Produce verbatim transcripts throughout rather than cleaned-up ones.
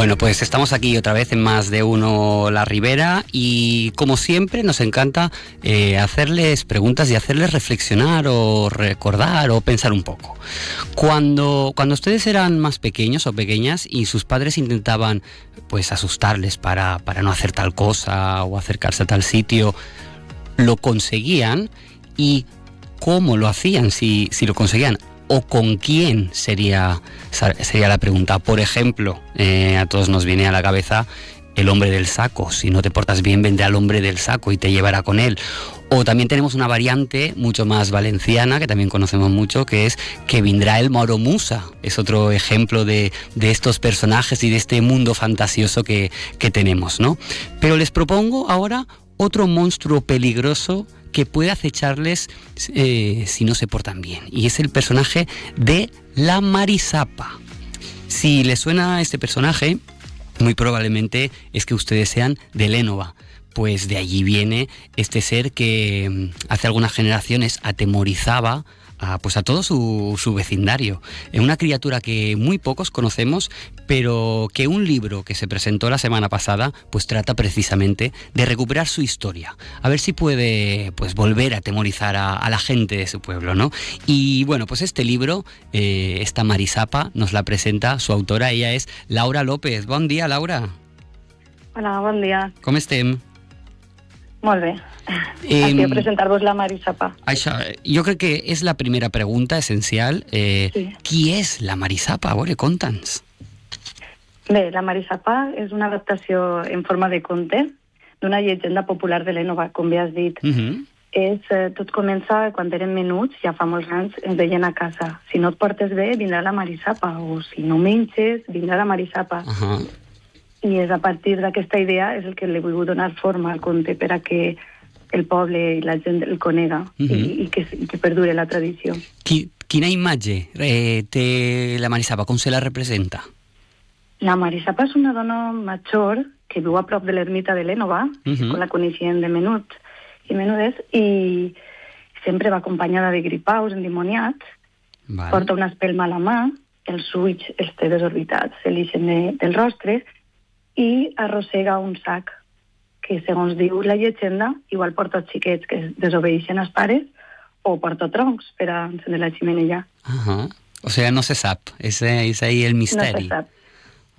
Bueno, pues estamos aquí otra vez en Más de Uno La Ribera y como siempre nos encanta eh, hacerles preguntas y hacerles reflexionar o recordar o pensar un poco. Cuando, cuando ustedes eran más pequeños o pequeñas y sus padres intentaban pues asustarles para, para no hacer tal cosa o acercarse a tal sitio, ¿lo conseguían? ¿Y cómo lo hacían si, si lo conseguían? ¿O con quién sería, sería la pregunta? Por ejemplo, eh, a todos nos viene a la cabeza el hombre del saco. Si no te portas bien, vendrá el hombre del saco y te llevará con él. O también tenemos una variante mucho más valenciana, que también conocemos mucho, que es que vendrá el Mauro Musa. Es otro ejemplo de, de estos personajes y de este mundo fantasioso que, que tenemos, ¿no? Pero les propongo ahora otro monstruo peligroso que puede acecharles eh, si no se portan bien. Y es el personaje de la Marisapa. Si les suena este personaje, muy probablemente es que ustedes sean de Lénova. Pues de allí viene este ser que hace algunas generaciones atemorizaba a, pues a todo su, su vecindario. Es una criatura que muy pocos conocemos, pero que un libro que se presentó la semana pasada pues trata precisamente de recuperar su historia, a ver si puede pues volver a atemorizar a, a la gente de su pueblo, ¿no? Y bueno, pues este libro, eh, esta Marisapa, nos la presenta su autora. Ella es Laura López. Bon dia, Laura. Hola, bon dia. Com estem? Molt bé. Eh, Aquí a presentar-vos la Marisapa. Això, jo crec que és la primera pregunta essencial. Eh, sí. Qui és la Marisapa? A veure, conta'ns. Bé, la Marisapa és una adaptació en forma de conte d'una llegenda popular de Lénova, com bé has dit. Uh-huh. És, eh, tot comença quan érem menuts, ja fa molts anys, ens deien a casa: si no et portes bé, vindrà la Marisapa, o si no menges, vindrà la Marisapa. Uh-huh. I és a partir d'aquesta idea és el que li he volgut donar forma al conte per a que el poble i la gent el conega, uh-huh. i, i, que, i que perdure la tradició. Qui, quina imatge eh, té la Marisapa? Com se la representa? La Marisapa és una dona major que viu a prop de l'ermita de Lénova, uh-huh. com la coneixien de menuts i menudes, i sempre va acompanyada de gripaus endimoniats, vale. Porta una espelma a la mà, els ulls els té desorbitats, se l'ixen de, del rostre, i arrossega un sac que, segons diu la llegenda, igual porta els xiquets que desobeixen als pares o porta troncs per a encendre la ximenella. Uh-huh. O sigui, no se sap. És, és ahí el misteri. No se sap.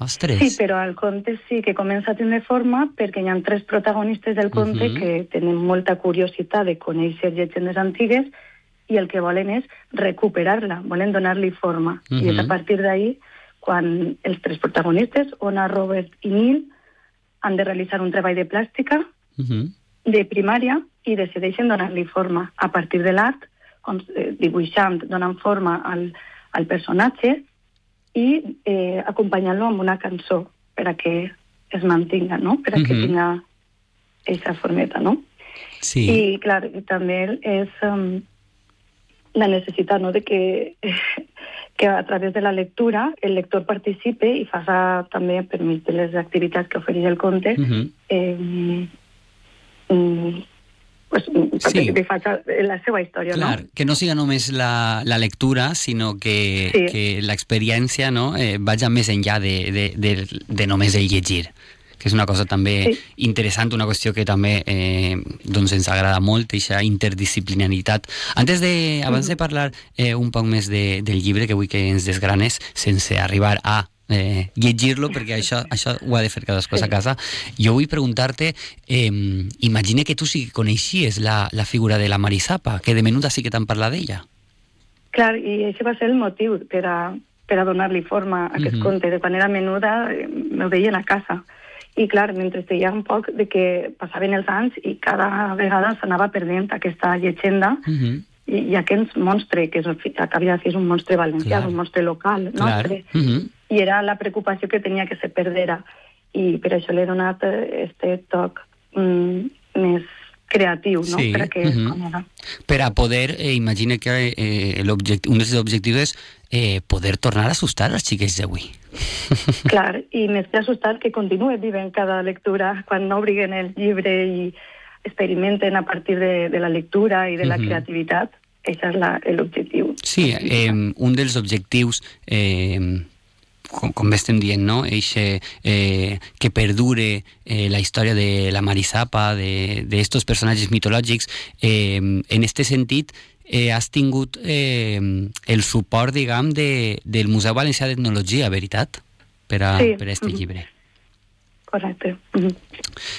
Ostres. Sí, però el conte sí que comença a tenir forma perquè hi ha tres protagonistes del conte uh-huh. que tenen molta curiositat de conèixer llegendes antigues i el que volen és recuperar-la, volen donar-li forma. Uh-huh. I és a partir d'ahí quan els tres protagonistes, Ona, Robert i Neil, han de realitzar un treball de plàstica uh-huh. de primària i decideixen donar-li forma. A partir de l'art, dibuixant, donant forma al, al personatge i eh, acompanyant-lo amb una cançó per a que es mantinga, no? Per a que uh-huh. tinga aquesta formeta, no? Sí. I, clar, també és um, la necessitat, no?, de que... que a través de la lectura el lector participe i faça també, per mig de les activitats que ofereix el conte, uh-huh. eh, mm, pues, sí. que faça la seva història. Clar, no? Que no siga només la, la lectura, sinó que, sí. que l'experiència, no, eh, vagi més enllà de, de, de, de només el llegir, que és una cosa també sí. interessant, una qüestió que també eh, doncs ens agrada molt, aquesta interdisciplinaritat. Antes de, abans de parlar eh, un poc més de, del llibre, que vull que ens desgranes, sense arribar a eh, llegir-lo, perquè això, això ho ha de fer cadascú sí. a casa, jo vull preguntar-te, eh, imagina que tu sí que coneixies la, la figura de la Marisapa, que de menuda sí que t'han parlat d'ella. Clar, i això va ser el motiu per a, per a donar-li forma a aquest uh-huh. conte. De quan era menuda, eh, me veien a casa. I, clar, mentre deia un poc de que passaven els anys i cada vegada s'anava perdent aquesta llegenda uh-huh. i, i aquest monstre, que és, acabia de ser un monstre valencià, clar. Un monstre local, nostre, uh-huh. i era la preocupació que tenia que se perdera. I per això l'he donat este toc mm, més creatiu, no? Sí. Per a que uh-huh. Per a poder, eh, imagina que eh, un dels objectius és eh, poder tornar a assustar als xiquets d'avui. Clar, i més que assustar, que continue vivint cada lectura quan no obriguen el llibre i experimenten a partir de, de la lectura i de la uh-huh. creativitat. Això és l'objectiu. Sí, eh, un dels objectius eh, com, com bé estem dient, no? Eixe, eh, que perdure eh, la història de la Marisapa, d'estos personatges mitològics. Eh, en este sentit, eh, has tingut eh, el suport, diguem, de, del Museu Valencià d'Etnologia, veritat? Per a, sí. per a este llibre. Correcte. Uh-huh.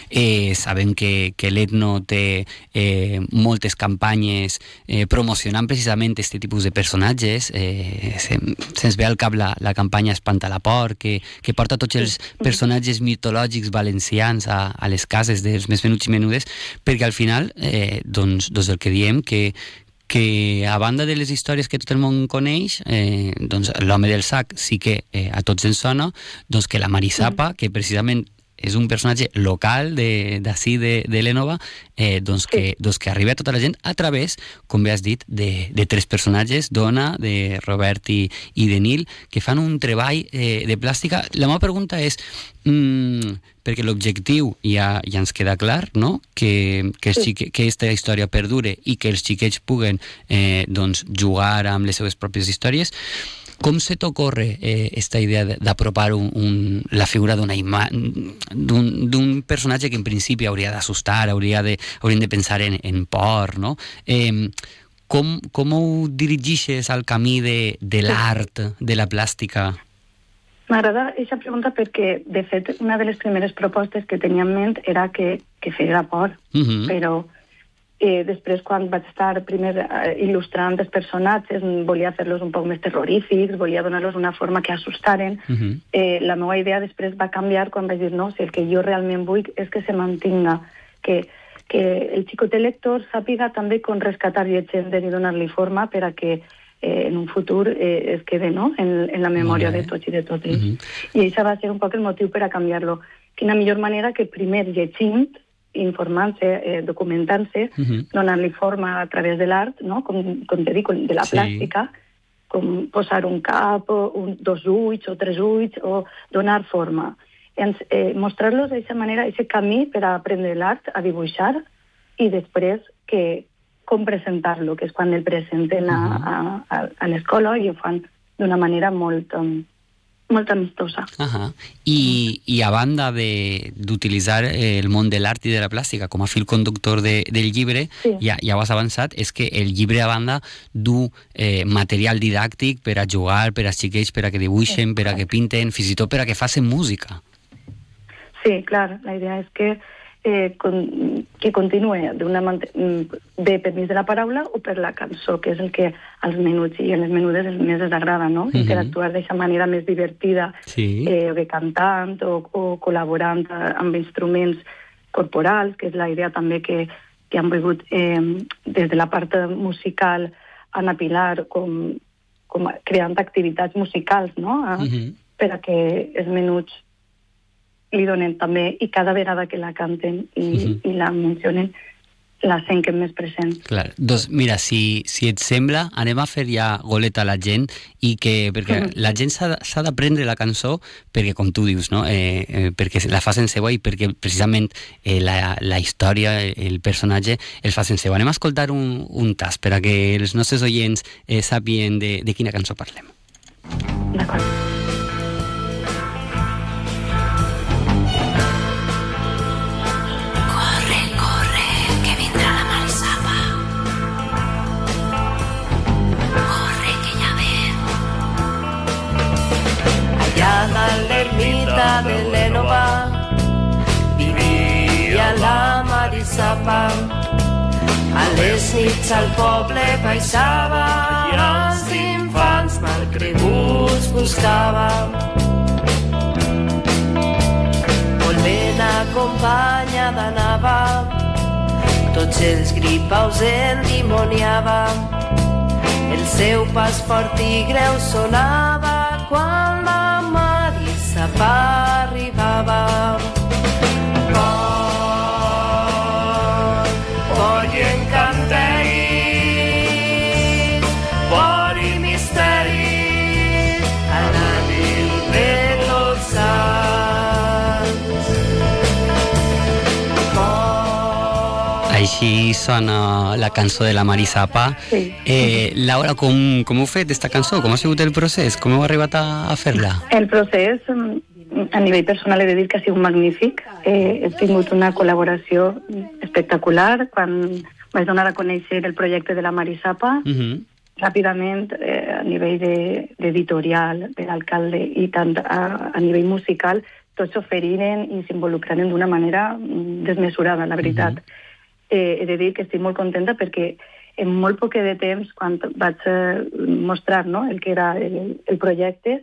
Eh, sabem que, que l'Etno té eh, moltes campanyes eh, promocionant precisament aquest tipus de personatges. Eh, se'ns se ve al cap la, la campanya Espanta la por, que, que porta tots els personatges mitològics valencians a, a les cases dels més menuts i menudes, perquè al final, eh, doncs, doncs el que diem, que que a banda de les històries que tot el món coneix, eh, doncs l'home del sac sí que eh, a tots ens sona, doncs que la Marisapa, mm. que precisament és un personatge local d'ací de, de, de l'Énova, eh, doncs, que, sí. doncs que arriba a tota la gent a través, com bé has dit, de, de tres personatges, Dona, de Robert i, i de Nil, que fan un treball eh, de plàstica. La meva pregunta és, mm, perquè l'objectiu ja, ja ens queda clar, no? que, que, sí. xique, que aquesta història perdure i que els xiquets puguen eh, doncs, jugar amb les seves pròpies històries. Com se t'ocorre eh, esta idea d'apropar un, un, la figura d'una d'un personatge que en principi hauria d'assustar, hauria de, hauríem de pensar en, en por, no? Eh, com, com ho dirigixes al camí de, de l'art, de la plàstica? M'agrada aquesta pregunta perquè, de fet, una de les primeres propostes que tenia en ment era que, que feia por, uh-huh. però Eh, després, quan vaig estar primer eh, il·lustrant els personatges, volia fer-los un poc més terrorífics, volia donar-los una forma que assustaren. Uh-huh. eh, la meva idea després va canviar quan vaig dir, no, si el que jo realment vull és que se mantinga, que, que el xicotet lector sàpiga també com rescatar llegendes i donar-li forma per a que eh, en un futur eh, es quede, no?, en, en la memòria de tots i de totes. Uh-huh. I això va ser un poc el motiu per a canviar-lo. Quina millor manera que primer llegint, informant-se, eh, documentant-se, uh-huh. donant-li forma a través de l'art, no? com, com te dic, de la sí. plàstica, com posar un cap, o un, dos ulls o tres ulls, o donar forma. Ens, eh, mostrar-los d'aquesta manera, aquest camí per a aprendre l'art, a dibuixar, i després que, com presentar-lo, que és quan el presenten a, a, a, a l'escola i ho fan d'una manera molt... Um, molt amistosa. Uh-huh. I, I a banda d'utilitzar el món de l'art i de la plàstica com a fil conductor de, del llibre, sí. ja, ja ho has avançat, és que el llibre a banda du eh, material didàctic per a jugar, per a xiquets, per a que dibuixen, sí, per a que pinten, fins i tot per a que facin música. Sí, clar, la idea és que eh, con, que continue d'una de permís de la paraula o per la cançó, que és el que als menuts i a les menudes més els agrada, no? Uh-huh. Interactuar d'aquesta manera més divertida, sí. eh, o cantant o, o col·laborant amb instruments corporals, que és la idea també que, que han volgut eh, des de la part musical Anna Pilar com, com creant activitats musicals, no? A, uh-huh. per a que els menuts li donen també, i cada vegada que la canten i, uh-huh. i la mencionen, la senten més present. Clar. Doncs mira, si, si et sembla, anem a fer ja goleta a la gent, i que, perquè uh-huh. la gent s'ha d'aprendre la cançó perquè, com tu dius, no? eh, eh, perquè la facin seva i perquè precisament eh, la, la història, el personatge, els facin seva. Anem a escoltar un, un tas per a que els nostres oients eh, sàpien de, de quina cançó parlem. D'acord. L'ermita de l'Énova vivia la Marisapa. A les nits al poble baixava i els infants malcreguts buscava. Volent acompanyada anava, tots els gripaus endimoniava. El seu pas fort i greu sonava quan la Marisapa arribava. Por, por i encanteris, por i misteris, a la nit de tots sants. Por... Així sona la cançó de la Marisapa. Sí. Eh, Laura, com, com heu fet aquesta cançó? Com ha sigut el procés? Com heu arribat a, a fer-la? El procés, a nivell personal, he de dir que ha sigut magnífic. Eh, he tingut una col·laboració espectacular quan vaig donar a conèixer el projecte de la Marisapa. Uh-huh. Ràpidament, eh, a nivell de- d'editorial, de l'alcalde i tant a, a nivell musical, tots s'oferiren i s'involucraren d'una manera desmesurada, la veritat. Uh-huh. Eh, he de dir que estic molt contenta perquè en molt poc de temps, quan vaig eh, mostrar, no?, el que era el, el projecte,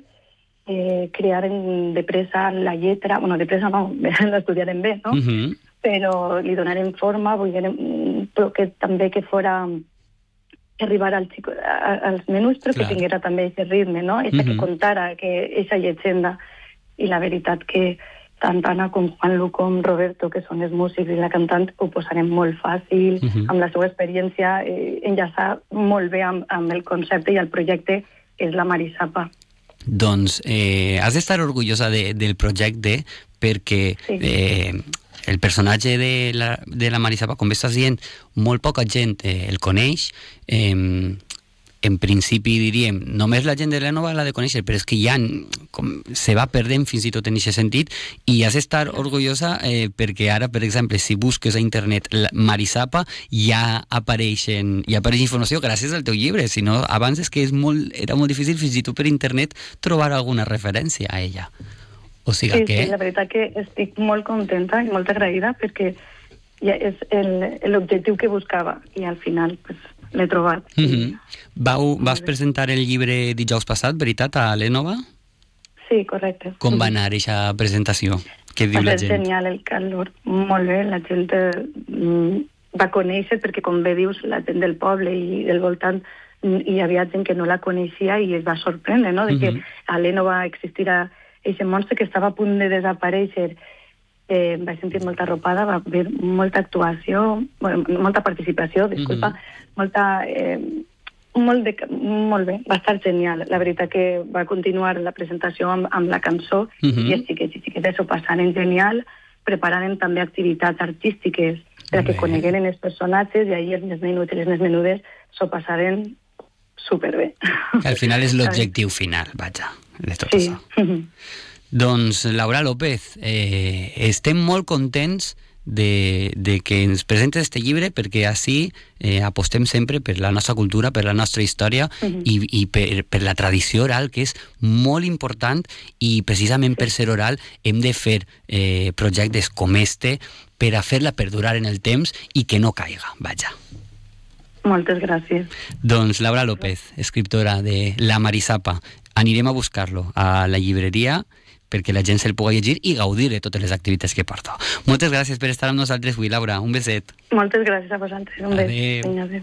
eh, crearen de pressa la lletra, bueno, de pressa no, l'estudiaren bé, no? Uh-huh. Però li donaren forma, volgueren, però que també que fora arribar al xico, a, als menús, però Clar. que tinguera també aquest ritme, no? Eixa Mhm. que contara, que eixa llegenda. I la veritat que tant Anna com Juanlu com Roberto, que són els músics i la cantant, ho posarem molt fàcil, Mhm. amb la seva experiència, eh, enllaçar molt bé amb, amb el concepte i el projecte que és la Marisapa. Doncs eh, has d'estar orgullosa de, del projecte perquè Sí. eh, el personatge de la, de la Marisapa, com bé estàs dient, molt poca gent eh, el coneix. Eh, en principi diríem, només la gent de l'Énova l'ha de conèixer, però és que ja com, se va perdent fins i tot en aquest sentit, i has d'estar orgullosa eh, perquè ara, per exemple, si busques a internet la Marisapa, ja apareixen, ja apareix informació gràcies al teu llibre, si no, abans és que és molt, era molt difícil fins i tot per internet trobar alguna referència a ella. O sigui Sí, que... sí, la veritat que estic molt contenta i molt agraïda perquè ja és el- l'objectiu que buscava i al final pues, l'he trobat. Mm -hmm. Vau, vas presentar el llibre dijous passat, veritat, a l'Énova? Sí, correcte. Com va anar aquesta presentació? Què diu Va la ser gent? genial el calor, molt bé, la gent eh, mm, va conèixer, perquè com bé dius, la gent del poble i del voltant, mm, hi havia gent que no la coneixia i es va sorprendre, no?, de que Mhm. a l'Énova existira aquest monstre que estava a punt de desaparèixer. Eh, em vaig sentir molta arropada, va haver molta actuació, bueno, molta participació, disculpa, Mhm. molta... Eh, molt, de, molt bé, va estar genial. La veritat que va continuar la presentació amb, amb la cançó Mhm. i els xiquets i xiquetes s'ho passaren genial, prepararen també activitats artístiques per Bé. que conegueren els personatges i ahir els més menuts i les més menudes s'ho passaren superbé. Que al final és l'objectiu final, vaja, de tot Sí. això. Doncs, Laura López, eh, estem molt contents de, de que ens presentes este llibre perquè així eh, apostem sempre per la nostra cultura, per la nostra història Mhm. i, i per, per la tradició oral, que és molt important, i precisament per ser oral hem de fer eh, projectes com este per a fer-la perdurar en el temps i que no caiga, vaja. Moltes gràcies. Doncs Laura López, escriptora de La Marisapa, anirem a buscar-lo a la llibreria perquè la gent se'l pugui llegir i gaudir de totes les activitats que porta. Moltes gràcies per estar amb nosaltres avui, Laura. Un beset. Moltes gràcies a vosaltres. Un bes. Adéu. Vinga, adéu.